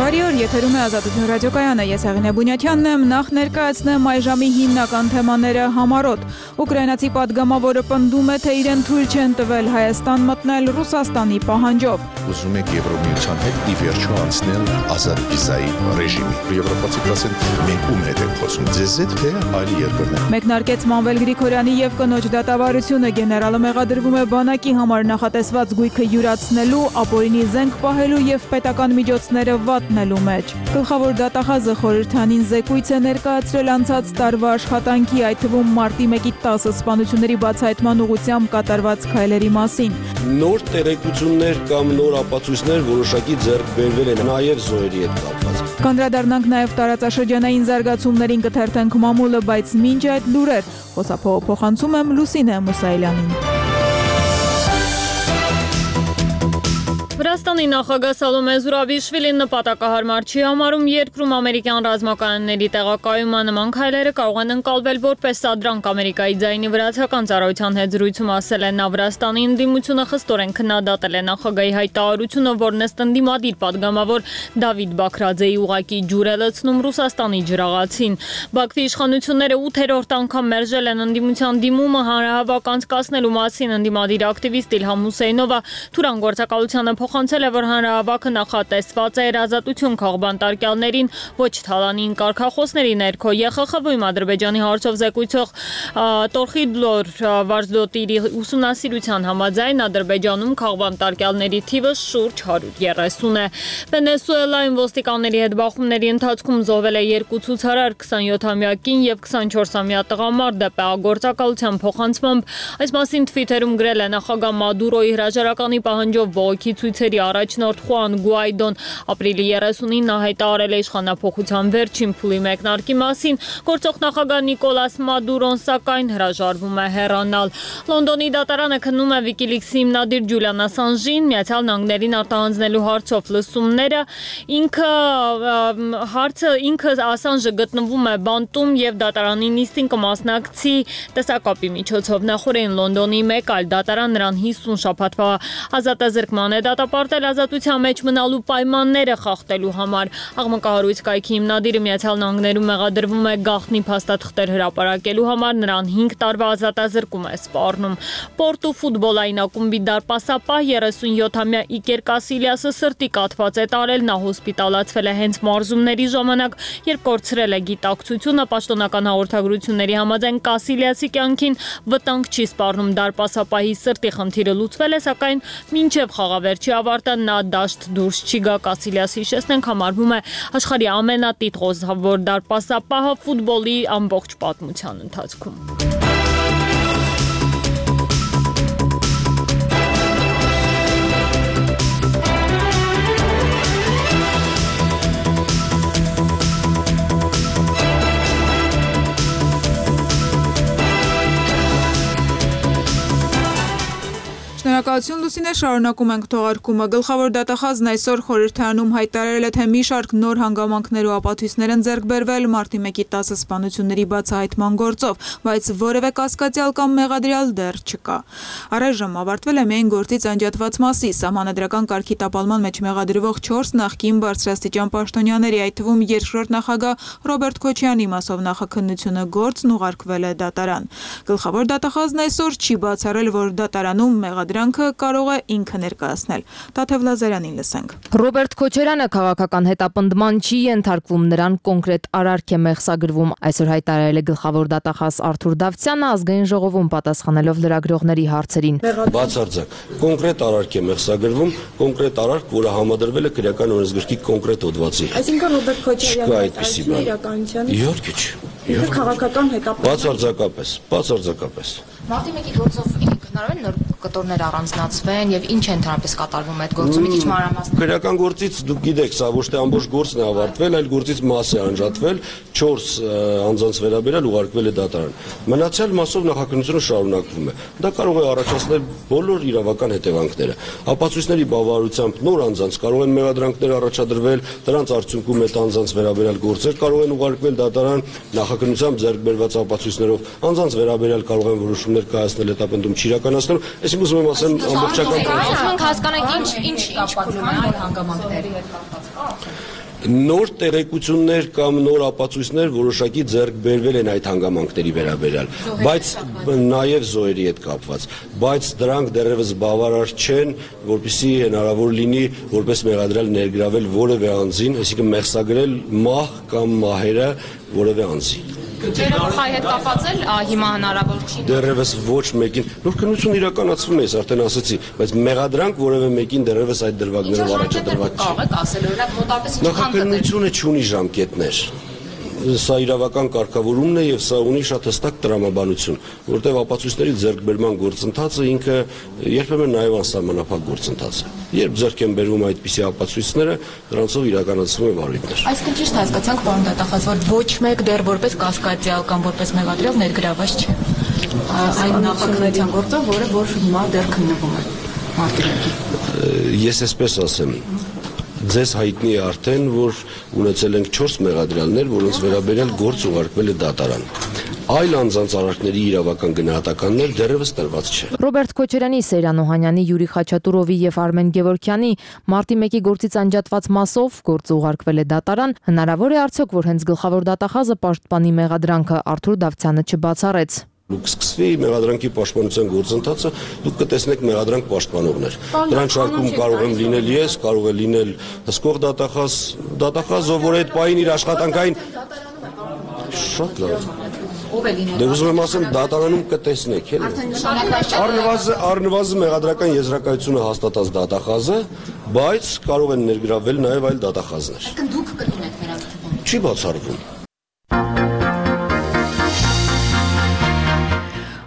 Բարի օր, եթերում է Ազատություն ռադիոկայանը, ես Հեղինե Բունյաթյանն եմ, նախ ներկայացնեմ այժմի հիմնական թեմաները համառոտ։ Ուկրաինացի պատգամավորը պնդում է, թե իրեն թույլ չեն տվել Հայաստան մտնել Ռուսաստանի պահանջով։ Ուզում եք Եվրոմիության հետ ի վերջո անցնել ազատ վիզայի ռեժիմի։ Եվրոպացիք ասեն, մենք ում հետ ենք խոսում, ձեզ հետ թե այլ երկրներ։ Մեկնարկեց Մանվել Գրիգորյանի եւ կնոջ դատավարությունը, գեներալը մեղադրվում է բանակի համար նախատեսված գույքը յուրացնելու, ապօրինի զենք պահելու եւ պետական միջոցները վատնելու մեջ։ Գլխավոր դատախազը խորհրդանին զեկույց է ներկայացրել անցած տարվա աշխատանքի, այդ թվում մարտի 1-ի 10 սպանությունների բացահայտման ուղղությամբ կատարված քայլերի մասին։ Նոր տեղեկություններ կամ նոր ապացույցներ որոշակի ձեռք բերվել են նաև զոհերի հետ կապված։ Կանդրադառնանք նաև տարածաշրջանային զարգացումներին, կթերթենք մամուլը, բայց մինչ այդ լուրեր, խոսափողը փոխանցում եմ Լուսինե Մուսայելյանին։ Վրաստանի նախագահ Սալոմե Զուրաբիշվիլին նպատակահարմար չի համարում երկրում ամերիկյան ռազմականների տեղակայումը, նման քայլերը կարող են ընկալվել որպես սադրանք Ամերիկայի ձայնի վրացական ծառայության հետ զրույցում ասել է նա։ Վրաստանի ընդդիմությունը խստորեն քննադատել է նախագահի հայտարարությունը, որն ըստ ընդդիմադիր падգամավոր Դավիթ Բաքրաձեի ուղղակի ջուր է լցնում Ռուսաստանի ջրաղացին։ Բաքվի իշխանությունները 8-րդ անգամ մերժել են ընդդիմության դիմումը հանրահավաք անցկացնելու մասին։ Ընդդիմադիր ակտիվիստ Իլհամ Հուսեյնովը Թուրան գործակալությանը փոխանցել է, որ հանրահավաքը նախատեսված է ազատություն քաղբանտարկյալներին, ոչ թալանին կարգախոսների ներքո։ ԵԽԽՎ-ում Ադրբեջանի հարցով զեկույցող Տորխիդլոր Վարզդոտիրի ուսումնասիրության համաձայն Ադրբեջանում քաղբանտարկյալների թիվը շուրջ 130 է։ Վենեսուելայում ոստիկանների հետ բախումների ընթացքում զոհվել է 2 ցուցարար, 27-ամյա կին եւ 24-ամյա տղամարդ ԴՊԱ գործակալության փոխանցմամբ։ Այս մասին Twitter-ում գրել է նախագահ Մադուրոյի հրաժարականի պահանջով բողոքի ցույցերի առաջնորդ Խուան Գուայդոն։ Ապրիլի 39-ին հայտարարել է իշխանափոխության վերջին փուլի մեկնարկի մասին։ Գործող նախագահ Նիկոլաս Մադուրոն սակայն հրաժարվում է հեռանալ։ Լոնդոնի դատարանը քննում է WikiLeaks-ի հիմնադիր Ջուլիան Ասանժին Միացյալ Նահանգներին արտահանձնելու հարցով լսումները։ Ինքը Ասանժը գտնվում է բանտում եւ դատարանի նիստին կմասնակցի տեսակապի միջոցով։ Նախորդին Լոնդոնի մեկ այլ դատարան նրան 50 շաբաթվա ազատազրկման է դատապարտել ազատության մեջ մնալու պայմանները խախտելու համար։ Աղմկահարույց կայքի հիմնադիրը Միացյալ Նահանգներում մեղադրվում է գաղտնի փաստաթղթեր հրապարակելու համար, նրան 5 տարվա ազատազրկում է սպառնում։ Պորտու ֆուտբոլային ակումբի դարպասապահ 37-ամյա Իկեր Կասիլիասը սրտի կաթված է տարել, նա հոսպիտալացվել է հենց մարզումների ժամանակ, երբ կորցրել է գիտակցությունը։ Պաշտոնական հաղորդագրությունների համաձայն Կասիլիասի կյանքին վտանգ չի սպառնում, դարպասապահի սրտի խնդիրը լուծվել է, սակայն մինչև խաղավերջի ավարտը նա դաշտ դուրս չի գա։ Կասիլիասը, հիշեցնենք, համարվում է աշխարհի ամենատիտղոսավոր դարպասապահը ֆուտբոլի ամբողջ պատմության ընթացքում։ Շնորհակալություն Լուսինե, շարունակում ենք թողարկումը։ Գլխավոր դատախազն այսօր խորհրդարանում հայտարարել է, թե մի շարք նոր հանգամանքներ ու ապացույցներ են ձեռք բերվել մարտի 1-ի 10 սպանությունների բացահայտման գործով, բայց որևէ կասկածյալ կամ մեղադրյալ դեռ չկա։ Առայժմ ավարտվել է միայն գործից անջատված մասի սահմանադրական կարգի տապալման մեջ մեղադրվող 4 նախկին բարձրաստիճան պաշտոնյաների, այդ թվում երկրորդ նախագահ Ռոբերտ Քոչյանի մասով նախաքննությունը գործն ուղարկվել է դատարան։ Գլխավոր դատախազն այսօր չի բացառել, որ դատարանում մեղադրանքը կարող է ինքը ներկայացնել։ Տաթև Լազարյանին լսենք։ Ռոբերտ Քոչարյանը քաղաքական հետապնդման չի ենթարկվում, նրան կոնկրետ արարք է մեղսագրվում։ Այսօր հայտարարել է գլխավոր դատախազ Արթուր Դավթյանը ազգային ժողովում պատասխանելով լրագրողների հարցերին։ Բացարձակ կոնկրետ արարք է մեղսագրվում, կոնկրետ արարք, որը համադրվել է քրեական օրենսգրքի կոնկրետ հոդվածի։ Այսինքն Ռոբերտ Քոչարյանը այդպիսի իրականության։ Իհարկե չէ։ Ինքը քաղաքական հետապնդում։ Բացարձակապես։ Մարտի 1-ի գործով հնարավոր է նոր կտորներ առանձնացվեն եւ ինչ է ընդհանրապես կատարվում այդ գործում, մի քիչ մանրամասն։ Քրեական գործից դուք գիտեք, սա ոչ թե ամբողջ գործն է ավարտվել, այլ գործից մաս է անջատվել, 4 անձանց վերաբերյալ ուղարկվել է դատարան։ Մնացյալ մասով նախաքննությունը շարունակվում է։ Դա կարող է առաջացնել բոլոր իրավական հետևանքները։ Ապացույցների բավարարությամբ նոր անձանց կարող են մեղադրանքներ առաջադրվել, դրանց արդյունքում այդ անձանց վերաբերյալ գործեր կարող են ուղարկվել դատարան նախաքննությամբ ձեռք բերված ապացույցներով, անձանց վերաբերյալ կարող են որոշումներ կայացնել հետապնդում չիրականացնելու, այսինքն ուզում եմ ասեմ ամբողջական հասկանանք ինչ փուլում են հանգամանքների հետ կապված։ Նոր տեղեկություններ կամ նոր ապացույցներ որոշակի ձեռք բերվել են այդ հանգամանքների վերաբերյալ, բայց նաև զոհերի հետ կապված, բայց դրանք դեռևս բավարար չեն, որպեսզի հնարավոր լինի որպես մեղադրյալ ներգրավել որևէ անձին, այսինքն մեղսագրել մահ կամ մահերը որևէ անձի։ Ջերմուխայի հետ կապված էլ հիմա հնարավոր չի։ Դեռևս ոչ մեկին, նոր քննություն իրականացվում է, ես արդեն ասացի, բայց մեղադրանք որևէ մեկին դեռևս այդ դրվագներով առաջադրված չի։ Կարող եք ասել, օրինակ մոտավորապես Նախաքննությունը չունի ժամկետներ։ Սա իրավական կարգավորումն է եւ սա ունի շատ հստակ տրամաբանություն, որտեղ ապացույցների ձեռքբերման գործընթացը ինքը երբեմն նաեւ անսահմանափակ գործընթաց է։ Երբ ձեռք են բերվում այդպիսի ապացույցները, դրանցով իրականացվում է վարույթներ։ Այսինքն ճիշտ հասկացանք, պարոն դատախազ, որ ոչ մեկ դեռ որպես կասկածյալ կամ որպես մեղադրյալ ներգրաված չէ։ Այն նախաքննության գործը, որ հիմա դեռ քննվում է մարտիրակի։ Ես այսպես ասեմ, ձեզ հայտնի է արդեն, որ ունեցել ենք 4 մեղադրյալներ, որոնց վերաբերյալ գործ ուղարկվել է դատարան։ Այլ անձանց արարքների իրավական գնահատականներ դեռևս տրված չէ։ Ռոբերտ Քոչարյանի, Սեյրան Օհանյանի, Յուրի Խաչատուրովի եւ Արմեն Գևորգյանի մարտի 1-ի գործից անջատված մասով գործը ուղարկվել է դատարան, հնարավոր է արդյոք, որ հենց գլխավոր դատախազը պաշտպանի մեղադրանքը Արթուր Դավթյանը չբացառեց։ Դուք սկսվի մեղադրանքի պաշտպանության գործընթացը, դուք կտեսնեք մեղադրանք պաշտպանողներ։ Դրանց շարքում կարող եմ լինել ես, կարող է լինել հսկող դատախազ, ով որ այդ պահին իր աշխատանքային շատ լավ։ Ով է լինել։ Դե ուզում եմ ասեմ, դատարանում կտեսնեք, էլի։ Առնվազն մեղադրական եզրակացությունը հաստատած դատախազը, բայց կարող են ներգրավել նաև այլ դատախազներ։ Այսինքն դուք կլինեք նրա թվում։ Չի բացառվում։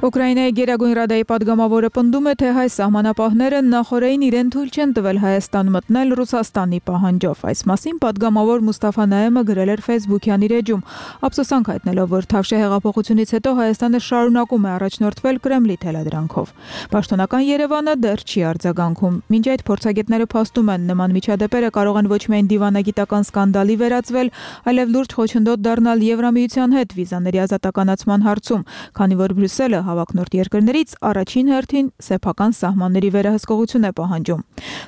Ուկրաինայի Գերագույն Ռադայի պատգամավորը պնդում է, թե հայ սահմանապահները նախօրեին իրեն թույլ չեն տվել Հայաստան մտնել Ռուսաստանի պահանջով։ Այս մասին պատգամավոր Մուստաֆա Նայեմը գրել էր Facebook-յան իր էջում, ափսոսանք հայտնելով, որ Թավշյա հեղափոխությունից հետո Հայաստանը շարունակում է առաջնորդվել Կրեմլի թելադրանքով։ Պաշտոնական Երևանը դեռ չի արձագանքում։ Մինչ այդ փորձագետները փաստում են, նման միջադեպերը կարող են ոչ միայն դիվանագիտական սկանդալի վերածվել, այլև լուրջ խոչընդոտ դառնալ Եվրամիության հետ վիզաների ազատականացման հարցում, քանի որ Բրյուսելը հավակնորդ երկրներից առաջին հերթին սեփական սահմանների վերահսկողություն է պահանջում։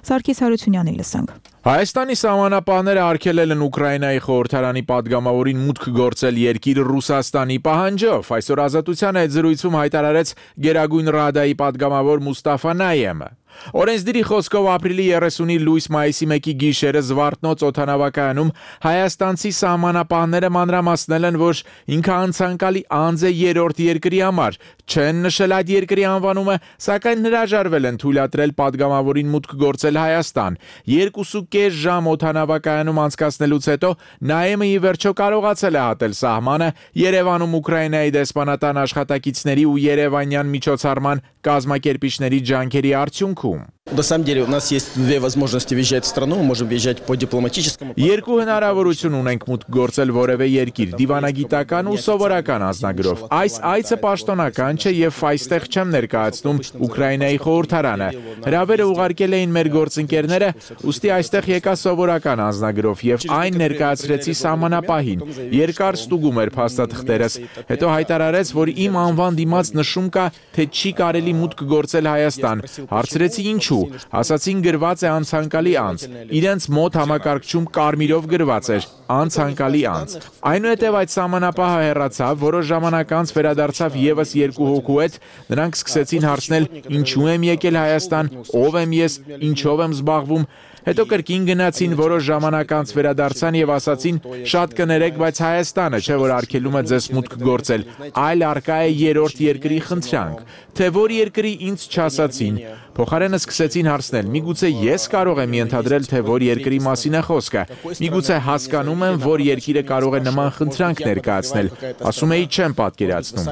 Սարգիս Հարությունյանին լսենք։ Հայաստանի սահմանապահները արգելել են Ուկրաինայի խորհրդարանի պատգամավորին մուտք գործել երկիր Ռուսաստանի պահանջով։ Այսօր Ազատության հետ զրույցում հայտարարեց Գերագույն Ռադայի պատգամավոր Մուստաֆա Նայեմը։ Օրենսդիրի խոսքով ապրիլի 30-ի լույս-մայիսի 1-ի գիշերը Զվարթնոց օդանավակայանում հայաստանցի սահմանապահները մանրամասնել են, որ ինքը անցանկալի անձ է երրորդ երկրի համար, չեն նշել այդ երկրի անվանումը, սակայն հրաժարվել են թույլատրել պատգամավորին մուտք գործել Հայաստան։ 2.5 ժամ օդանավակայանում անցկացնելուց հետո Նայեմը ի վերջո կարողացել է հատել սահմանը Երևանում Ուկրաինայի դեսպանատան աշխատակիցների ու երևանյան միջոցառման կազմակերպիչների ջանքերի արդյունքում։ На самом деле у нас есть две возможности въезжать в страну, мы можем въезжать по дипломатическому. Երկու հնարավորություն ունենք մուտք գործել որևէ երկիր՝ դիվանագիտական ու սովորական անձնագրով։ Այս այցը պաշտոնական չէ եւ այստեղ չեմ ներկայացնում Ուկրաինայի խորհրդարանը։ Հրավերը ուղարկել էին մեր գործընկերները, ուստի այստեղ եկա սովորական անձնագրով եւ այն ներկայացրեցի սահմանապահին։ Երկար ստուգում էր փաստաթղթերս, հետո հայտարարեց, որ իմ անվան դիմաց նշում կա, թե չի կարելի մուտք գործել Հայաստան։ Հարցրեցի ինչու։ Ասացին գրված է անցանկալի անձ։ Իրենց մոտ համակարգչում կարմիրով գրված էր անցանկալի անձ։ Այնուհետև այդ սահմանապահը հեռացավ, որոշ ժամանակ անց վերադարձավ եւս երկու հոգու հետ, նրանք սկսեցին հարցնել ինչու եմ եկել Հայաստան, ով եմ ես, ինչով եմ զբաղվում։ Հետո կրկին գնացին, որոշ ժամանակ անց վերադարձան եւ ասացին շատ կներեք, բայց Հայաստանը չէ որ արգելում է ձեզ մուտք գործել, այլ արկա է երրորդ երկրի խնդրանք, թե որ երկրի ինձ չասացին։ Փոխարենը սկսեցին հարցնել. միգուցե ես կարող եմ ենթադրել, թե որ երկրի մասին է խոսքը։ Միգուցե հասկանում եմ, որ երկիրը կարող է նման խնդրանք ներկայացնել։ Ասում էի չեմ պատկերացնում։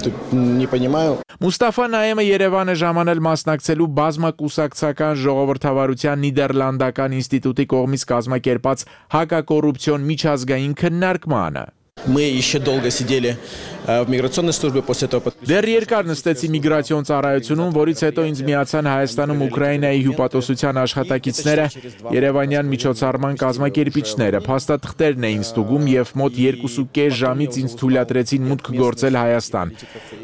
Не понимаю. Մուստաֆա Նայեմը Երևան է ժամանել մասնակցելու բազմակուսակցական ժողովրդավարության Նիդերլանդական ինստիտուտի կողմից կազմակերպած հակակոռուպցիոն միջազգային քննարկմանը։ Мы еще долго сидели в миграционной службе после этого. Դեռ երկար նստեցի միգրացիոն ծառայությունում, որից հետո ինձ միացան Հայաստանում Ուկրաինայի հյուպատոսության աշխատակիցները, Երևանյան միջոցառման կազմակերպիչները, փաստաթղթերն էին ստուգում եւ մոտ 2.5 ժամից ինձ թույլատրեցին մուտք գործել Հայաստան։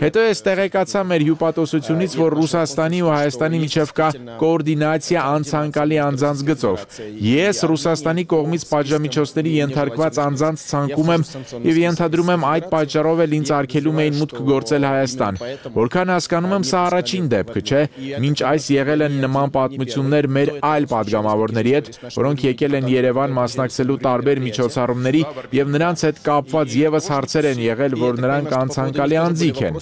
Հետո ես տեղեկացա մեր հյուպատոսությունից, որ Ռուսաստանի ու Հայաստանի միջև կա կոորդինացիա անցանկալի անձանց գծով։ Ես Ռուսաստանի կողմից պատժամիջոցների ենթարկված անձանց ցանկում եմ եւ ենթադրում եմ այդ պատճառով էլ ինձ արգելում էին մուտք գործել Հայաստան։ Որքան հասկանում եմ, սա առաջին դեպքը չէ, մինչ այս եղել են նման պատմություններ մեր այլ падգամավորների հետ, որոնք եկել են Երևան մասնակցելու տարբեր միջոցառումների եւ նրանց հետ կապված եւս հարցեր են եղել, որ նրանք անցանկալի անձիկ են։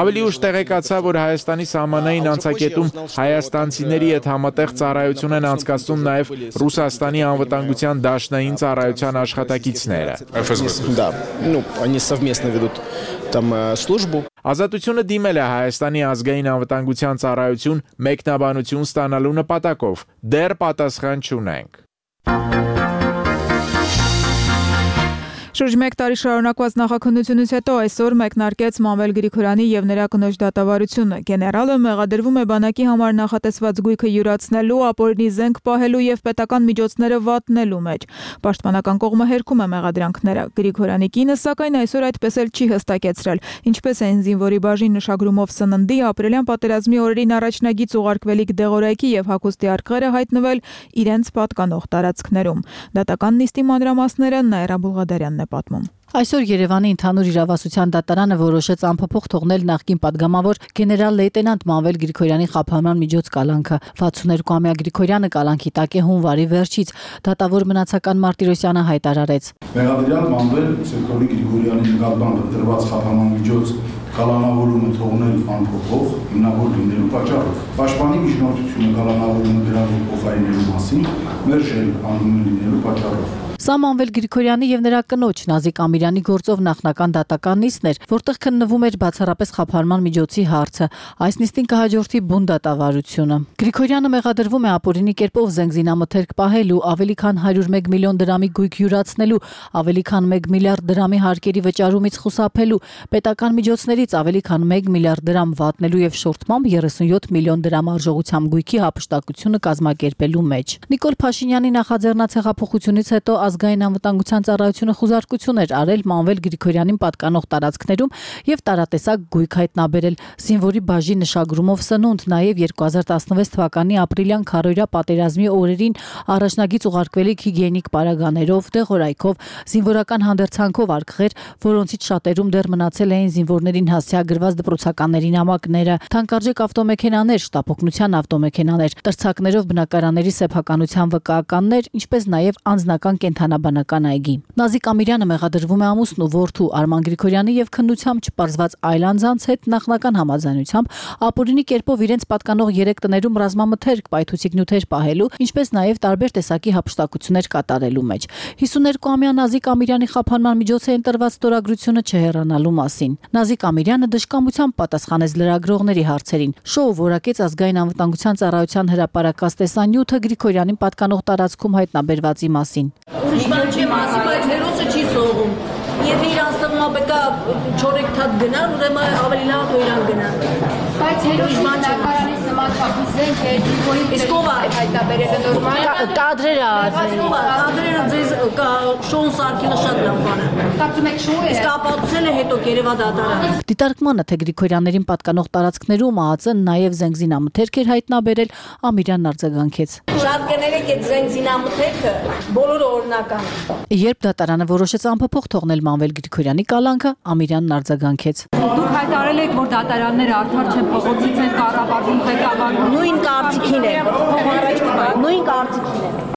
Ավելի ուշ տեղեկացա, որ Հայաստանի սահմանային անցակետում հայաստանցիների հետ համատեղ ծառայություն են անցկացնում նաեւ Ռուսաստանի անվտանգության դաշնային ծառայության աշխատակիցները։ Да, ну, они совместно ведут там службу. Ազատությունը դիմել է Հայաստանի ազգային անվտանգության ծառայություն մեկնաբանություն ստանալու նպատակով։ Դեռ պատասխան չունենք։ Շուրջ 1 տարի շարունակված նախաքննությունից հետո այսօր մեկնարկեց Մանվել Գրիգորյանի եւ նրա կնոջ դատավարությունը։ Գեներալը մեղադրվում է բանակի համար նախատեսված գույքը յուրացնելու, ապօրինի զենք պահելու եւ պետական միջոցները վատնելու մեջ։ Պաշտպանական կողմը հերքում է մեղադրանքները։ Գրիգորյանի կինը սակայն այսօր այդպես էլ չի հստակեցրել, ինչպես են զինվորի բաժին նշագրումով սննդի, ապրիլյան պատերազմի օրերին առաջնագիծ ուղարկվելիք դեղորայքի եւ հագուստի արկղերը հայտնվել իրենց պատկանող տարածքներում։ Դատական նիստի մանրամասները Նաիրա Բուլղադարյանն է պատմում։ Այսօր Երևանի ընդհանուր իրավասության դատարանը որոշեց անփոփոխ թողնել նախկին падգամավոր գեներալ լեյտենանտ Մանվել Գրիգորյանի խափանման միջոց կալանքը։ 62-ամյա Գրիգորյանը կալանքի տակ է հունվարի վերջից, դատավոր մնացական Մարտիրոսյանը հայտարարեց. Մեղադրյալ Մանվել Սերգեյ Գրիգորյանի նկատմամբ դրված խափանման միջոց կալանավորումը թողնել անփոփոխ հիմնավոր լինելու պատճառով։ Պաշտպանի միջնորդությունը կալանավորումը դրանով փոխարինելու մասին մերժել անհիմն լինելու պատճառով։ Սա Մանվել Գրիգորյանի եւ նրա կնոջ Նազիկ Ամիրյանի գործով նախնական դատական նիստն էր, որտեղ քննվում էր բացառապես խափանման միջոցի հարցը։ Այս նիստին կհաջորդի բուն դատավարությունը։ Գրիգորյանը մեղադրվում է ապօրինի կերպով զենգզինամթերք պահելու, ավելի քան 101 միլիոն դրամի գույք յուրացնելու, ավելի քան 1 միլիարդ դրամի հարկերի վճարումից խուսափելու, պետական միջոցներից ավելի քան 1 միլիարդ դրամ վատնելու եւ շորթմամբ 37 միլիոն դրամ արժողությամբ գույքի հափշտակությունը կազմակերպելու մեջ։ Նիկոլ Փաշինյանի նախաձեռնած հեղափոխությունից հետո ազգային անվտանգության ծառայությունը խուզարկություն էր արել Մանվել Գրիգորյանին պատկանող տարածքներում եւ տարատեսակ գույք հայտնաբերել զինվորի բաժի նշագրումով սնունդ, նաեւ 2016 թվականի ապրիլյան քարոյրա պատերազմի օրերին առաջնագիծ ուղարկվելիք հիգիենիկ պարագաներով, դեղորայքով, զինվորական հանդերձանքով արկղեր, որոնցից շատերում դեռ մնացել էին զինվորներին հասցեագրված դպրոցականների նամակները, թանկարժեք ավտոմեքենաներ, շտապօգնության ավտոմեքենաներ, տրցակներով բնակարանների սեփականության վկայականներ, ինչպես նաեւ անձնական կենթանաբանական այգի։ Նազիկ Ամիրյանը մեղադրվում է ամուսնու որդու Արման Գրիգորյանի եւ քննությամբ չպարզված այլ անձանց հետ նախնական համաձայնությամբ ապօրինի կերպով իրենց պատկանող 3 տներում ռազմամթերք, պայթուցիկ նյութեր պահելու, ինչպես նաեւ տարբեր տեսակի հափշտակություններ կատարելու մեջ։ 52-ամյա Նազիկ Ամիրյանի խափանման միջոց է ընտրված ստորագրությունը չհեռանալու մասին։ Նազիկ Ամիրյանը դժկամությամբ պատասխանեց լրագրողների հարցերին։ Շոու որակեց ազգային անվտանգության ծառայության հրապարակած տեսանյութը Գրիգորյանին պատկանող տարածքում հայտնաբերվածի մասին։ Ուրիշ բան չեմ ասի, բայց հերոսը չի սողում։ Եթե իրան ստվում է պետք է 4 թաթ գնալ, ուրեմն ավելի լավ է իրան գնալ։ Բայց հերոսի բնակարանից նման փախուս զենք է, որի իսկ ով է հայտնաբերել նորմալ կադրերը ազգային։ Կադրերը ձեզ Շոուն Սարգսյանը շատ լավ բան է։ Կարծում եք շոու է։ Իսկ ապացուցել է հետո Երևա դատարանը։ Դիտարկմանը թե Գրիգորյաններին պատկանող տարածքներում ԱԱԾ-ն նաև զենգզինամթերք էր հայտնաբերել, Ամիրյանն արձագանքեց։ Շատ կներեք այդ զենգզինամթերքը բոլորը օրինական է։ Երբ դատարանը որոշեց անփոփոխ թողնել Մանվել Գրիգորյանի կալանքը, Ամիրյանն արձագանքեց։ Դուք հայտարարել եք, որ դատարանները արդար չեն, փողոցից են կառավարվում ղեկավարում։ Նույն կարծիքին է։ Նույն կարծիքին է։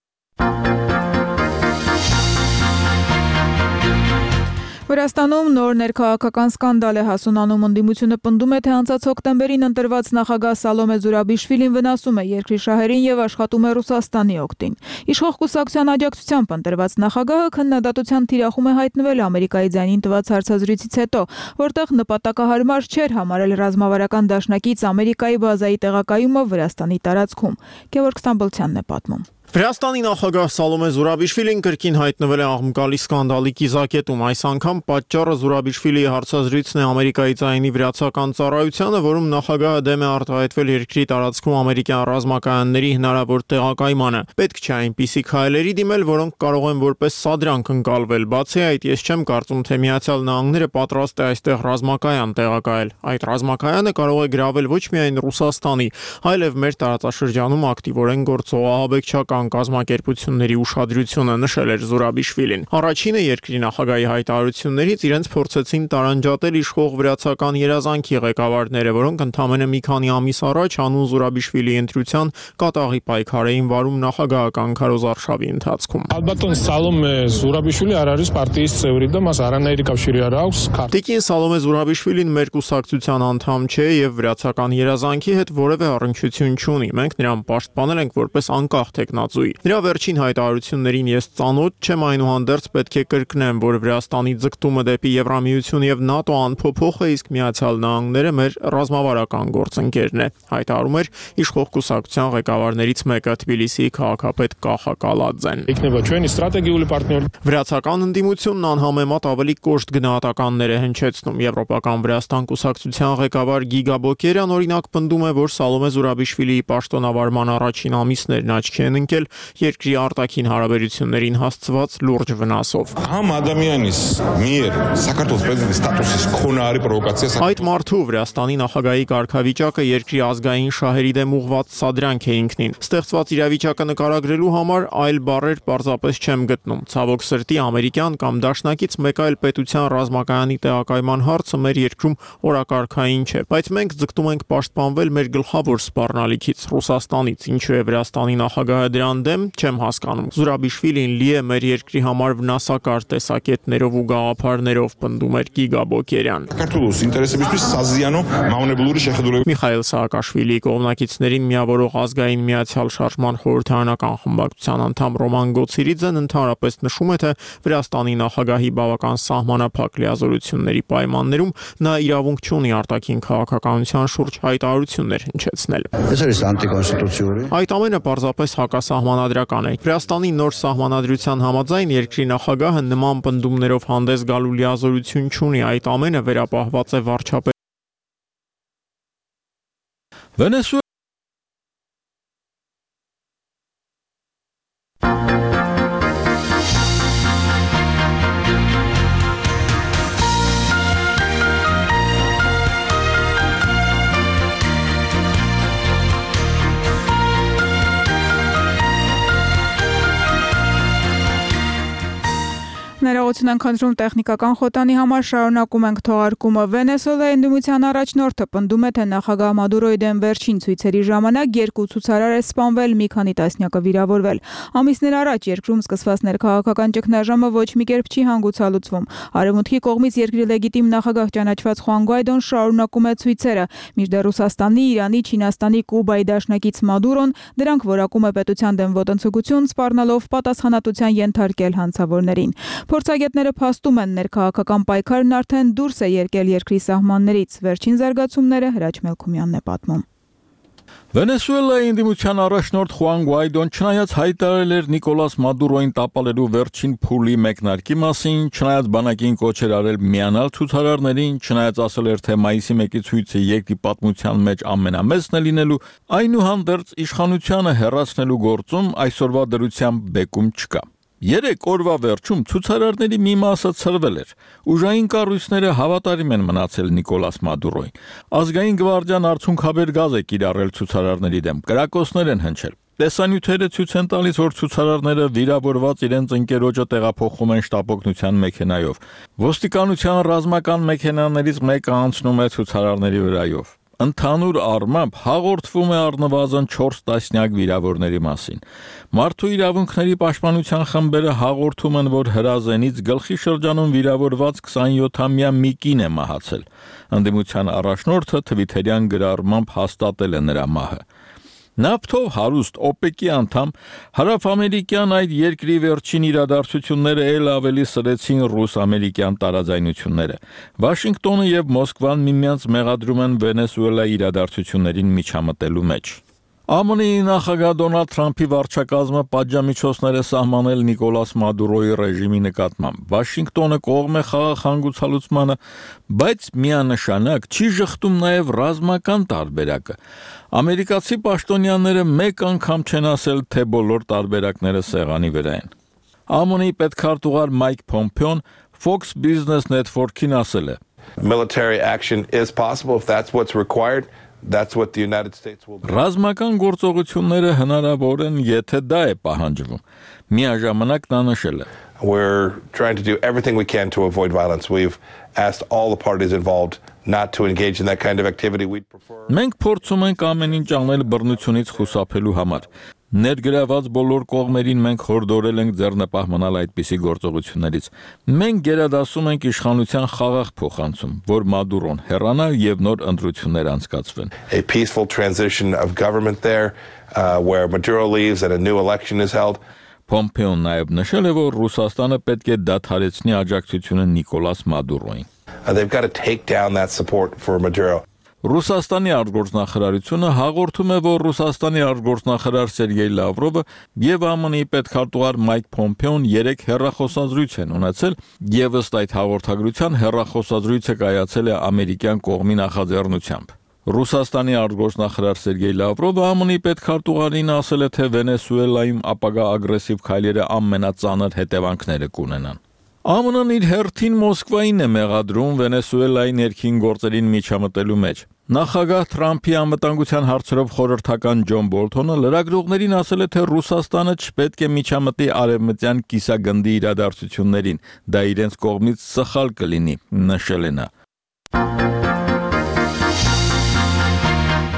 Վրաստանում նոր ներքաղաքական սկանդալ է հասունանում, ընդդիմությունը պնդում է, թե անցած հոկտեմբերին ընտրված նախագահ Սալոմե Զուրաբիշվիլին վնասում է երկրի շահերին եւ աշխատում է Ռուսաստանի օգտին։ Իշխող կուսակցության աջակցությամբ ընտրված նախագահը քննադատության թիրախում է հայտնվել Ամերիկայի ձայնին տված հարցազրույցից հետո, որտեղ նպատակահարմար չէր համարել ռազմավարական դաշնակից Ամերիկայի բազայի տեղակայումը Վրաստանի տարածքում։ Գևորգ Ստամբոլցյանն է պատմում։ Վրաստանի նախագահ Սալոմե Զուրաբիշվիլին կրկին հայտնվել է աղմկալի սկանդալի կիզակետում։ Այս անգամ պատճառը Զուրաբիշվիլիի հարցազրույցն է Ամերիկայի ձայնի վրացական ծառայությանը, որում նախագահը դեմ է արտահայտվել երկրի տարածքում ամերիկյան ռազմակայանների հնարավոր տեղակայմանը։ Պետք չէ այնպիսի քայլերի դիմել, որոնք կարող են որպես սադրանք ընկալվել։ Բացի այդ, ես չեմ կարծում, թե Միացյալ Նահանգները պատրաստ է այստեղ ռազմակայան տեղակայել։ Այդ ռազմակայանը կարող է գրավել ոչ միայն Ռուսաստանի, այլև մեր տարածաշրջանում ակտիվորեն գործող ահաբեկչական կազմակերպությունների ուշադրությունը, նշել էր Զուրաբիշվիլին։ Առաջինը երկրի նախագահի հայտարարություններից իրենց փորձեցին տարանջատել իշխող վրացական երազանքի ղեկավարները, որոնք ընդամենը մի քանի ամիս առաջ հանուն Զուրաբիշվիլիի ընտրության կատաղի պայքար էին վարում նախագահական քարոզարշավի ընթացքում։ Ալբատոն Սալոմե Զուրաբիշվիլի արարից պարտիից ծևրի դա մաս արանների կապշիրի արաուս Տիկին Սալոմե Զուրաբիշվիլին մեր կուսակցության անդամ չէ եւ վրացական երազանքի հետ որևէ առնչություն չունի։ Մենք նրան պաշտպանել ենք որպես անկախ տեխնացու։ Նրա վերջին հայտարարություններին ես ծանոթ չեմ, այնուհանդերձ պետք է կրկնեմ, որ Վրաստանի ձգտումը դեպի Եվրամիություն եւ ՆԱՏՕ անփոփոխ է, իսկ Միացյալ Նահանգները մեր ռազմավարական գործընկերն է, հայտարարում էր իշխող կուսակցության ղեկավարներից մեկը Թբիլիսիի քաղաքապետ Կախա Կալաձեն։ Վրացական ընդդիմությունն անհամեմատ ավելի կոշտ գնահատականներ է հնչեցնում։ Եվրոպական Վրաստան կուսակցության ղեկավար Գիգա Բոկերյան օրինակ պնդում է, որ Սալոմե Զուրաբիշվիլիի պաշտոնավարման առաջին ամիսներն աչքի են ընկել երկրի արտաքին հարաբերություններին հասցված լուրջ վնասով։ Այդ մարդու Վրաստանի նախագահի կարգավիճակը երկրի ազգային շահերի դեմ ուղղված սադրանք է ինքնին։ Ստեղծված իրավիճակը նկարագրելու համար այլ բառեր պարզապես չեմ գտնում։ Ցավոք սրտի ամերիկյան կամ դաշնակից մեկ այլ պետության ռազմակայանի տեղակայման հարցը մեր երկրում օրակարգային չէ, բայց մենք ձգտում ենք պաշտպանվել մեր գլխավոր սպառնալիքից Ռուսաստանից, ինչու է Վրաստանի նախագահը դրան դեմ, չեմ հասկանում։ Զուրաբիշվիլին լի է մեր երկրի համար վնասակար տեսակետներով ու գաղափարներով, պնդում էր Գիգա Բոկերյան։ Միխայել Սաակաշվիլիի կողմնակիցներին միավորող ազգային միացյալ շարժման խորհրդարանական խմբակցության անդամ Ռոման Գոցիրիձեն ընդհանրապես նշում է, թե Վրաստանի նախագահի բավական սահմանափակ լիազորությունների պայմաններում նա իրավունք չունի արտաքին քաղաքականության շուրջ հայտարարություններ հնչեցնել։ Այդ ամենը պարզապես հակասահմանադրական է։ Վրաստանի նոր սահմանադրության համաձայն երկրի նախագահը նման պնդումներով հանդես գալու լիազորություն չունի, այդ ամենը վերապահված է վարչապետ Ներողություն ենք խնդրում տեխնիկական խոտանի համար, շարունակում ենք թողարկումը։ Վենեսուելայի ընդդիմության առաջնորդը պնդում է, թե նախագահ Մադուրոյի դեմ վերջին ցույցերի ժամանակ 2 ցուցարար է սպանվել, մի քանի տասնյակը վիրավորվել։ Ամիսներ առաջ երկրում սկսված ներքաղաքական ճգնաժամը ոչ մի կերպ չի հանգուցալուծվում։ Արևմուտքի կողմից երկրի լեգիտիմ նախագահ ճանաչված Խուան Գուայդոն շարունակում է ցույցերը, մինչդեռ Ռուսաստանի, Իրանի, Չինաստանի, Կուբայի դաշնակից Մադուրոն դրանք որակում է պետության դեմ ոտնձգություն, սպառնալով պատասխանատվության ենթարկել հանցավորներին։ Փորձագետները փաստում են, ներքաղաքական պայքարն արդեն դուրս է եկել երկրի սահմաններից։ Վերջին զարգացումները Հրաչ Մելքումյանն է պատմում։ Վենեսուելայի ընդդիմության առաջնորդ Խուան Գուայդոն չնայած հայտարարել էր Նիկոլաս Մադուրոյին տապալելու վերջին փուլի մեկնարկի մասին, չնայած բանակին կոչեր արել միանալ ցուցարարներին, չնայած ասել էր, թե մայիսի 1-ի ցույցը երկրի պատմության մեջ ամենամեծն է լինելու, այնուհանդերձ իշխանությանը հեռացնելու գործում այսօրվա դրությամբ բեկում չկա։ 3 օրվա վերջում ցուցարարների մի մասը ցրվել էր։ Ուժային կառույցները հավատարիմ են մնացել Նիկոլաս Մադուրոյին։ Ազգային գվարդիան արցունքաբեր գազ է կիրառել ցուցարարների դեմ։ Կրակոցներ են հնչել։ Տեսանյութերը ցույց են տալիս, որ ցուցարարները վիրավորված իրենց ընկերոջը տեղափոխում են շտապօգնության մեքենայով։ Ոստիկանության ռազմական մեքենաներից մեկը անցնում է ցուցարարների վրայով։ Ընդհանուր առմամբ հաղորդվում է առնվազն 4 տասնյակ վիրավորների մասին։ Մարդու իրավունքների պաշտպանության խմբերը հաղորդում են, որ հրազենից գլխի շրջանում վիրավորված 27-ամյա մի կին է մահացել։ Ընդդիմության առաջնորդը թվիթերյան գրառմամբ հաստատել է նրա մահը։ Նավթով հարուստ OPEC-ի անդամ հարավամերիկյան այդ երկրի վերջին իրադարձությունները էլ ավելի սրեցին ռուս-ամերիկյան տարաձայնությունները։ Վաշինգտոնը եւ Մոսկվան միմյանց մեղադրում են Վենեսուելայի իրադարձություններին միջամտելու մեջ։ ԱՄՆ-ի նախագահ Դոնալդ Թրամփի վարչակազմը պատժամիջոցներ է սահմանել Նիկոլաս Մադուրոյի ռեժիմի նկատմամբ։ Վաշինգտոնը կողմ է խաղաղ հանգուցալուծմանը, բայց միանշանակ չի ժխտում նաև ռազմական տարբերակը։ Ամերիկացի պաշտոնյաները մեկ անգամ չեն ասել, թե բոլոր տարբերակները սեղանի վրա են։ ԱՄՆ-ի պետքարտուղար Մայք Փոմփեոն Fox Business Network-ին ասել է. Military action is possible if that's what's required. That's what the United States will do. Ռազմական գործողությունները հնարավոր են, եթե դա է պահանջվում։ Միաժամանակ նա նշել է. We're trying to do everything we can to avoid violence. We've asked all the parties involved not to engage in that kind of activity. We'd prefer. Մենք փորձում ենք ամեն ինչ անել բռնությունից խուսափելու համար։ Ներգրաված բոլոր կողմերին մենք հորդորել ենք ձեռնպահ մնալ այդպիսի գործողություններից։ Մենք գերադասում ենք իշխանության խաղաղ փոխանցում, որ Մադուրոն հեռանա եւ նոր ընտրություններ անցկացվեն։ A peaceful transition of government there where Maduro leaves and a new election is held. Փոմփեոն նաև նշել է, որ Ռուսաստանը պետք է դադարեցնի աջակցությունը Նիկոլաս Մադուրոյին։ They've got to take down that support for Maduro. Ռուսաստանի արտգործնախարարությունը հաղորդում է, որ Ռուսաստանի արտգործնախարար Սերգեյ Լավրովը եւ ԱՄՆ-ի պետքարտուղար Մայք Փոմփեոն 3 հեռախոսազրույց են ունեցել, եւ ըստ այդ հաղորդագրության հեռախոսազրույցը կայացել է ամերիկյան կողմի նախաձեռնությամբ։ Ռուսաստանի արտգործնախարար Սերգեյ Լավրովը ԱՄՆ-ի պետքարտուղարին ասել է, թե Վենեսուելայում ապագա ագրեսիվ քայլերը ամենածանր հետևանքները կունենան։ ԱՄՆ-ն իր հերթին Մոսկվային է մեղադրում Վենեսուելայի ներքին գործերին միջամտելու մեջ։ Նախագահ Թրամփի անվտանգության հարցերով խորհրդական Ջոն Բոլթոնը լրագրողներին ասել է, թե Ռուսաստանը չպետք է միջամտի արևմտյան կիսագնդի իրադարձություններին, դա իրենց կողմից սխալ կլինի, նշել է նա։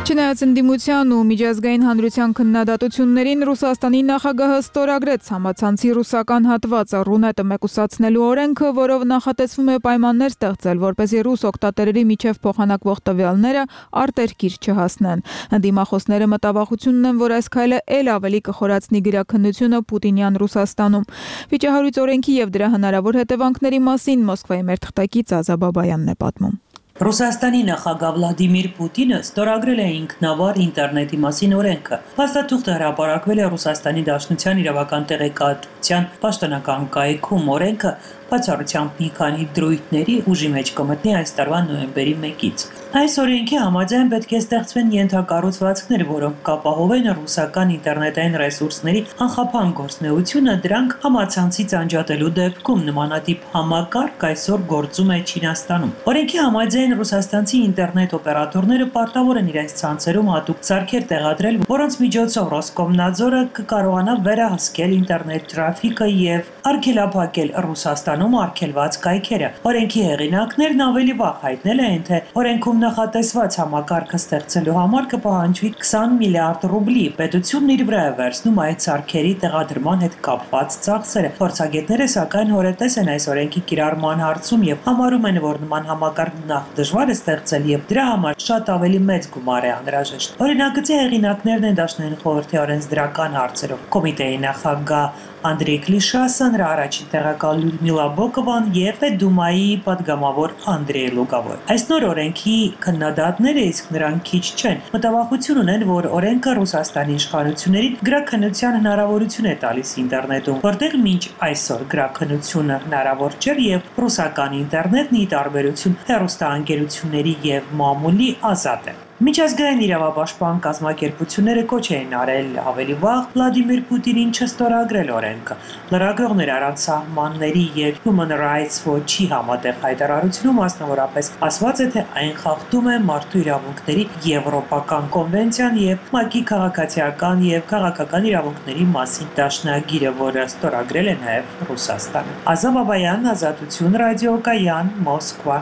Չնայած ընդդիմության ու միջազգային հանրության քննադատություններին Ռուսաստանի նախագահը ստորագրեց համացանցի ռուսական հատվածը Ռունետը մեկուսացնելու օրենքը, որով նախատեսվում է պայմաններ ստեղծել, որպեսզի ռուս օգտատերերի միջև փոխանակվող տվյալները արտերկիր չհասնեն։ Ընդդիմախոսները մտավախություն ունեն, որ այս քայլը ել ավելի կխորացնի գրաքննությունը Պուտինյան Ռուսաստանում։ Վիճահարույց օրենքի եւ դրա հնարավոր հետևանքների մասին Մոսկվայի մեր թղթակից Ազա Բաբայանն է պատմում։ Ռուսաստանի նախագահ Վլադիմիր Պուտինը ստորագրել է ինքնավար ինտերնետի մասին օրենքը։ Փաստաթուղթը հրապարակվել է Ռուսաստանի Դաշնության իրավական տեղեկատվության պաշտոնական կայքում։ Օրենքը բացառությամբ մի քանի դրույթների ուժի մեջ կմտնի այս տարվա նոյեմբերի 1-ից։ Այս օրենքի համաձայն պետք է ստեղծվեն ենթակառուցվածքներ, որոնք կապահովեն ռուսական ինտերնետային ռեսուրսների անխափան գործունեությունը, դրանք համացանցից անջատելու դեպքում նմանատիպ համակարգ այսօր գործում է Չինաստանում։ Օրենքի համաձայն ռուսաստանցի ինտերնետ օպերատորները պարտավոր են իրենց ցանցերում հատուկ սարքեր տեղադրել, որոնց միջոցով Ռոսկոմնadzորը կկարողանա վերահսկել ինտերնետ տրաֆիկը եւ արգելափակել Ռուսաստանում արգելված կայքերը։ Օրենքի հեղինակներն ավելի վաղ հայտնել են, թե օրենքում նախատեսված համակարգը ստեղծելու համար կպահանջվի 20 միլիարդ ռուբլի։ Պետությունն իր վրա է վերցնում այդ սարքերի տեղադրման հետ կապված ծախսերը։ Փորձագետները սակայն հորետես են այս օրենքի կիրառման հարցում եւ համարում են, որ նման համակարգ նախ դժվար է ստեղծել եւ դրա համար շատ ավելի մեծ գումար է անհրաժեշտ։ Օրինագծի հեղինակներն են Դաշնային խորհրդի օրենսդրական հարցերով կոմիտեի նախագահ Անդրեյ Կլիշասը, նրա առաջին տեղակալ Լյուդմիլա Բոկովան եւ Դումայի падգամավոր Անդրեյ Լուգավոր։ Այս նոր օրենքի քննադատները իսկ նրանք քիչ չեն։ Մտավախություն ունեն, որ օրենքը Ռուսաստանի իշխանություններին գրաքննության հնարավորություն է տալիս ինտերնետում, որտեղ մինչ այսօր գրաքննությունը հնարավոր չէր եւ ռուսական ինտերնետն ի տարբերություն հեռուստաընկերությունների եւ մամուլի ազատ է։ Միջազգային իրավապաշտպան կազմակերպությունները կոչ էին արել ավելի վաղ Վլադիմիր Պուտինին չստորագրել օրենքը։ Լրագրողներ առանց սահմանների եւ Human Rights Watch-ի համատեղ հայտարարությունում մասնավորապես ասված է, թե այն խախտում է մարդու իրավունքների եվրոպական կոնվենցիան եւ ՄԱԿ-ի քաղաքացիական եւ քաղաքական իրավունքների մասին դաշնագիրը, որը ստորագրել է նաեւ Ռուսաստանը։ Ազա Բաբայան, Ազատություն ռադիոկայան, Մոսկվա։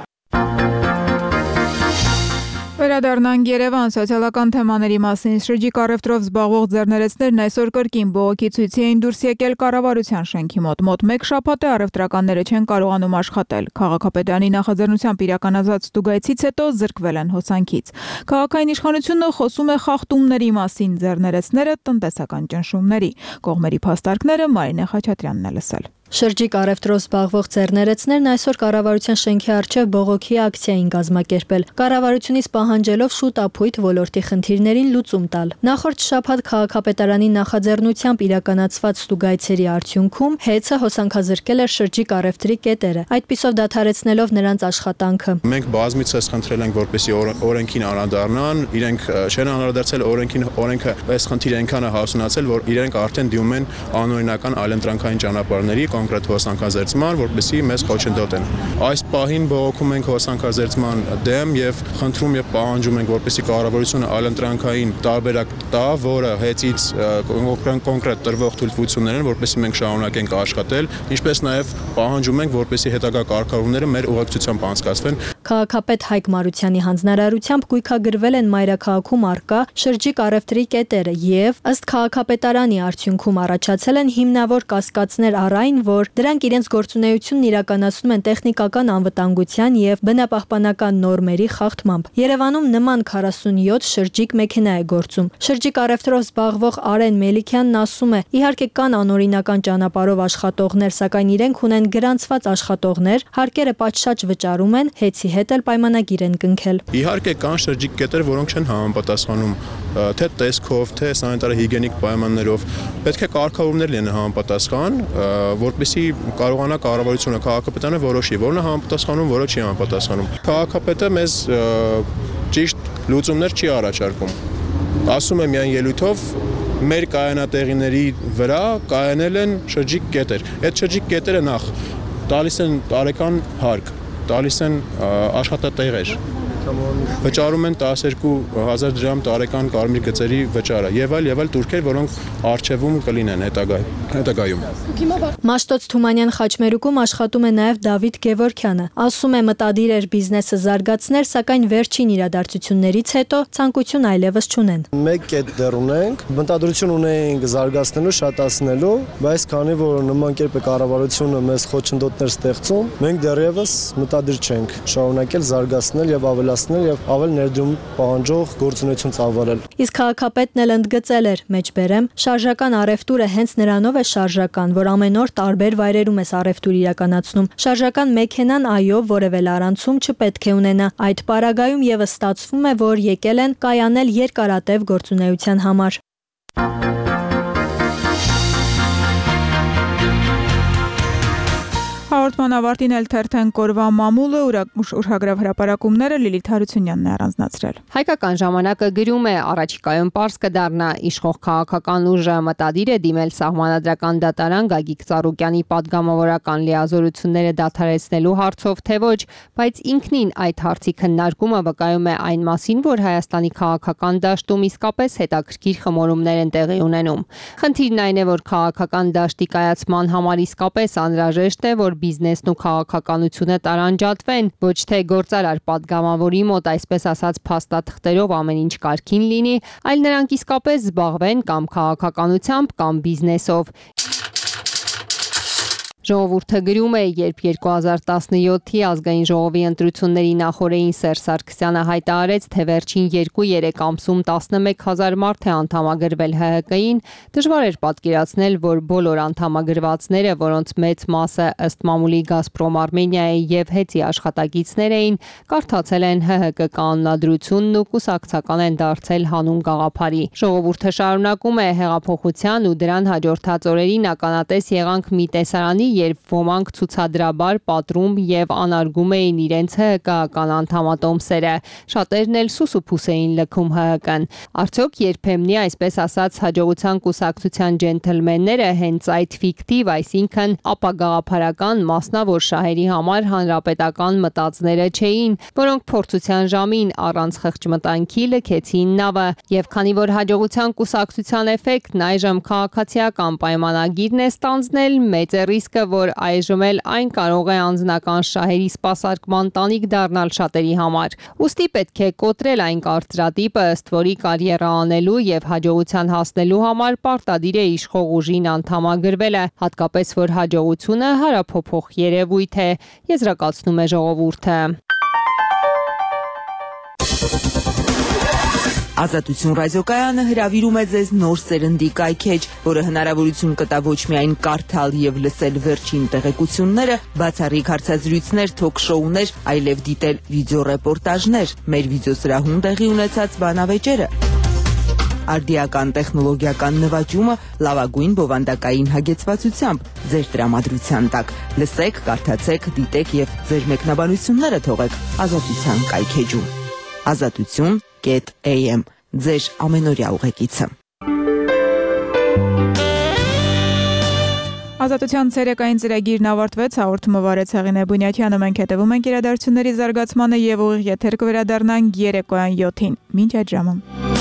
Վերադառնանք Երևան սոցիալական թեմաների մասին շրջիկ առևտրով զբաղվող ձեռներեցներն այսօր կրկին բողոքի ցույցի էին դուրս եկել կառավարության շենքի մոտ մեկ շաբաթ է առևտրականները չեն կարողանում աշխատել։ Քաղաքապետարանի նախաձեռնությամբ իրականացած ստուգայցից հետո զրկվել են հոսանքից։ Քաղաքային իշխանությունը խոսում է խախտումների մասին, ձեռներեցները տնտեսական ճնշումների։ Կողմերի փաստարկները Մարինե Խաչատրյանն է լսել։ Շրջիկ առևտրով զբաղվող ձեռներեցներն այսօր կառավարության շենքի առջև բողոքի ակցիա էին կազմակերպել։ Կառավարությունից պահանջելով շուտ ապույտ ոլորտի խնդիրներին լուծում տալ։ Նախորդ շաբաթ քաղաքապետարանի նախաձեռնությամբ իրականացված ստուգայցերի արդյունքում ՀԵՑ-ը հոսանքազրկել էր շրջիկ առևտրի կետերը, այդպիսով դադարեցնելով նրանց աշխատանքը։ Մենք բազմիցս խնդրել ենք, որպեսզի օրենքին անդրադառնան, իրենք չեն անդրադարձել օրենքը այս խնդիրը այնքան է հասունացել, որ իրենք արդեն դիմում են անօրինական այլընտրանքային ճանապարհների կոնկրետ հոսանքազերծման, որպեսզի մեզ խոչընդոտեն։ Այս պահին բողոքում ենք հոսանքազերծման դեմ եւ խնդրում եւ պահանջում ենք, որպեսզի կառավարությունը այլընտրանքային տարբերակ տա, որը ՀԵՑ-ից կոնկրետ տրվող թույլտվություններն, որպեսզի մենք շարունակենք աշխատել, ինչպես նաեւ պահանջում ենք, որպեսզի հետագա կարգավորումները մեր ուղղակցությամբ անցկացվեն։ Քաղաքապետ Հայկ Մարությանի հանձնարարությամբ գույքագրվել են մայրաքաղաքում առկա շրջիկ առևտրի կետերը եւ ըստ քաղաքապետարանի արդյունքում առաջացել են հիմնավոր կասկածներ առ այն, որ դրանք իրենց գործունեությունն իրականացնում են տեխնիկական անվտանգության եւ բնապահպանական նորմերի խախտմամբ։ Երևանում նման 47 շրջիկ մեքենա է գործում։ Շրջիկ առևտրով զբաղվող Արեն Մելիքյանն ասում է. իհարկե կան անօրինական ճանապարհով աշխատողներ, սակայն իրենք ունեն գրանցված աշխատողներ, հարկերը պատշաճ վճարում են, ՀԵՑ-ի հետ էլ պայմանագիր են կնքել։ Իհարկե կան շրջիկ կետեր, որոնք չեն համապատասխանում թե տեսքով, թե սանիտար-հիգիենիկ պայմաններով։ Պետք է կարգավորումներ լինեն համապատասխան, որպեսզի կարողանա կառավարությունը, քաղաքապետարանը որոշի, որն է համապատասխանում, որը չի համապատասխանում։ Քաղաքապետը մեզ ճիշտ լուծումներ չի առաջարկում։ Ասում է միայն ելույթով մեր կայանատեղիների վրա կայանել են շրջիկ կետեր։ Այդ շրջիկ կետերը նախ տալիս են տարեկան հարկ, տալիս են աշխատատեղեր, վճարում են 12,000 դրամ տարեկան կարմիր գծերի վճարը եւ այլ турքեր, որոնք արժեվում կլինեն հետագայում։ Մաշտոց Թումանյան խաչմերուկում աշխատում է նաեւ Դավիթ Գևորքյանը։ Ասում է մտադիր էր բիզնեսը զարգացնել, սակայն վերջին իրադարձություններից հետո ցանկություն այլևս չունեն։ Մեկ կետ դեռ ունենք, մտադրություն ունենք զարգացնելու, շատացնելու, բայց քանի որ նման կերպ է կառավարությունը մեզ խոչընդոտներ ստեղծում, մենք դեռևս մտադիր չենք շարունակել զարգացնել եւ եւ ավել ներդրում պահանջող գործունեություն ծավալել։ Իսկ քաղաքապետն էլ ընդգծել էր, մեջբերեմ, շարժական առևտուրը հենց նրանով է շարժական, որ ամեն օր տարբեր վայրերում է առևտուր իրականացնում։ Շարժական մեքենան այո, որևէ լարանցում չպետք է ունենա։ Այդ պարագայում եւս ստացվում է, որ եկել են կայանել երկարատև գործունեության համար։ Հաղորդման ավարտին էլ թերթեն կորվա մամուլը ուշագրավ հրապարակումները Լիլիթ Հարությունյանն է առանձնացրել։ Հայկական ժամանակը գրում է առաջիկայում պարզ կդառնա իշխող քաղաքական ուժը մտադիր է դիմել սահմանադրական դատարան Գագիկ Ծառուկյանի падգամավորական լիազորությունները դադարեցնելու հարցով թե ոչ, բայց ինքնին այդ հարցի քննարկումը վկայում է այն մասին, որ Հայաստանի քաղաքական դաշտում իսկապես հետաքրքիր խմորումներ են տեղի ունենում։ Խնդիրն այն է, որ քաղաքական դաշտի կայացման համար իսկապես անհրաժեշտ է, որ բիզնեսն ու քաղաքականությունը տարանջատվեն, ոչ թե գործարար падգամավորի մոտ այսպես ասած փաստաթղթերով ամեն ինչ կարգին լինի, այլ նրանք իսկապես զբաղվեն կամ քաղաքականությամբ կամ բիզնեսով։ Ժողովուրդը գրում է, երբ 2017-ի ազգային ժողովի ընտրությունների նախօրեին Սերժ Սարգսյանը հայտարարեց, թե վերջին 2-3 ամսում 11000 մարդ է անդամագրվել ՀՀԿ-ին, դժվար էր պատկերացնել, որ բոլոր անդամագրվածները, որոնց մեծ մասը ըստ մամուլի Գազպրոմ Արմենիայի եւ ՀԵՑ-ի աշխատակիցներ էին, կարդացել են ՀՀԿ կանոնադրությունն ու կուսակցական են դարձել հանուն գաղափարի։ Ժողովուրդը շարունակում է հեղափոխության ու դրան հաջորդած օրերին ականատես եղանք մի տեսարանի, երբ ոմանք ցուցադրաբար պատրում եւ անարգում էին իրենց ՀՀԿ-ական անդամատոմսերը, շատերն էլ սուսուփուս էին լքում ՀՀԿ-ն։ Արդյոք երբեմնի այսպես ասած հաջողության կուսակցության ջենթլմենները հենց այդ ֆիկտիվ, այսինքն ապագաղափարական մասնավոր շահերի համար հանրապետական մտածները չէին, որոնք փորձության ժամին առանց խղճմտանքի լքեցին նավը, եւ քանի որ հաջողության կուսակցության էֆեկտն այժմ քաղաքացիական պայմանագիրն է ստանձնել, մեծ է ռիսկը, որ այժմ էլ այն կարող է անձնական շահերի սպասարկման տանիք դառնալ շատերի համար։ Ուստի պետք է կոտրել այն կարծրատիպը, ըստ որի կարիերա անելու եւ հաջողության հասնելու համար պարտադիր է իշխող ուժին անդամագրվելը, հատկապես որ հաջողությունը հարափոփող երևույթ է, եզրակացնում է ժողովուրդը։ Ազատություն ռադիոկայանը հրավիրում է ձեզ նոր սերնդի կայքեջ, որը հնարավորություն կտա ոչ միայն կարդալ եւ լսել վերջին տեղեկությունները, բացառիկ հարցազրույցներ, թոք-շոուներ, այլև դիտել վիդեոռեպորտաժներ, մեր վիդեոսրահում տեղի ունեցած բանավեճերը։ Արդիական տեխնոլոգիական նվաճումը լավագույն բովանդակային հագեցվածությամբ ձեր տրամադրության տակ։ Լսեք, կարդացեք, դիտեք եւ ձեր մեկնաբանությունները թողեք Ազատության կայքեջում։ Ազատություն.am ձեր ամենօրյա ուղեկիցը։ Ազատության ցերեկային ծրագիրն ավարտվեց, հաղորդումը վարեց Հեղինե Բունյաթյանը, մենք հետևում ենք իրադարձությունների զարգացմանը եւ ուղիղ եթեր կվերադառնանք երեկոյան 7-ին։ Մինչ այդ ժամը։